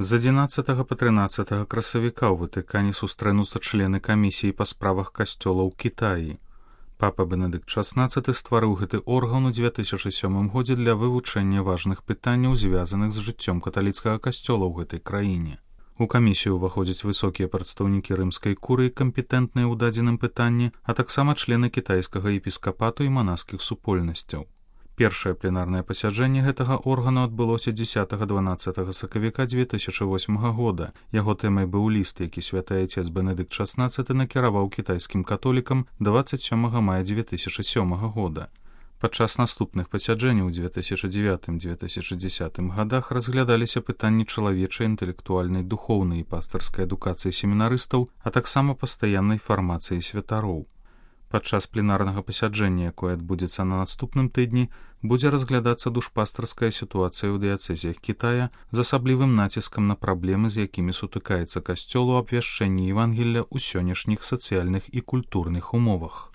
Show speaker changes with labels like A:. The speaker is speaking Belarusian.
A: З 11 па 13 красавіка ў Ватыкане сустрэнуцца члены камісіі па справах касцёла ў Кітаі. Папа Бенедыкт XVI стварыў гэты орган у 2007 годзе для вывучэння важных пытанняў, звязаных з жыццём каталіцкага касцёла ў гэтай краіне. У камісію ўваходзяць высокія прадстаўнікі рымскай курыі, кампетэнтныя ў дадзеным пытанні, а таксама члены кітайскага епіскапату і манаскіх супольнасцяў. Першае пленарнае пасяджэнне гэтага органу адбылося 10-12 сакавіка 2008 года. Яго тэмай быў ліст, які святы айцец Бенедыкт XVI накіраваў кітайскім католікам 27 мая 2007 года. Падчас наступных пасяджэнняў у 2009-2010 годах разглядаліся пытанні чалавечай, інтэлектуальнай, духоўнай і пастырскай адукацыі семінарыстаў, а таксама пастаяннай фармацыі святароў. Падчас пленарнага пасяджэння, якое адбудзецца на наступным тыдні, будзе разглядацца душпастырская сітуацыя ў дыяцэзіях Кітая з асаблівым націскам на праблемы, з якімі сутыкаецца касцёл у абвяшчэнні Евангелля ў сённяшніх сацыяльных і культурных умовах.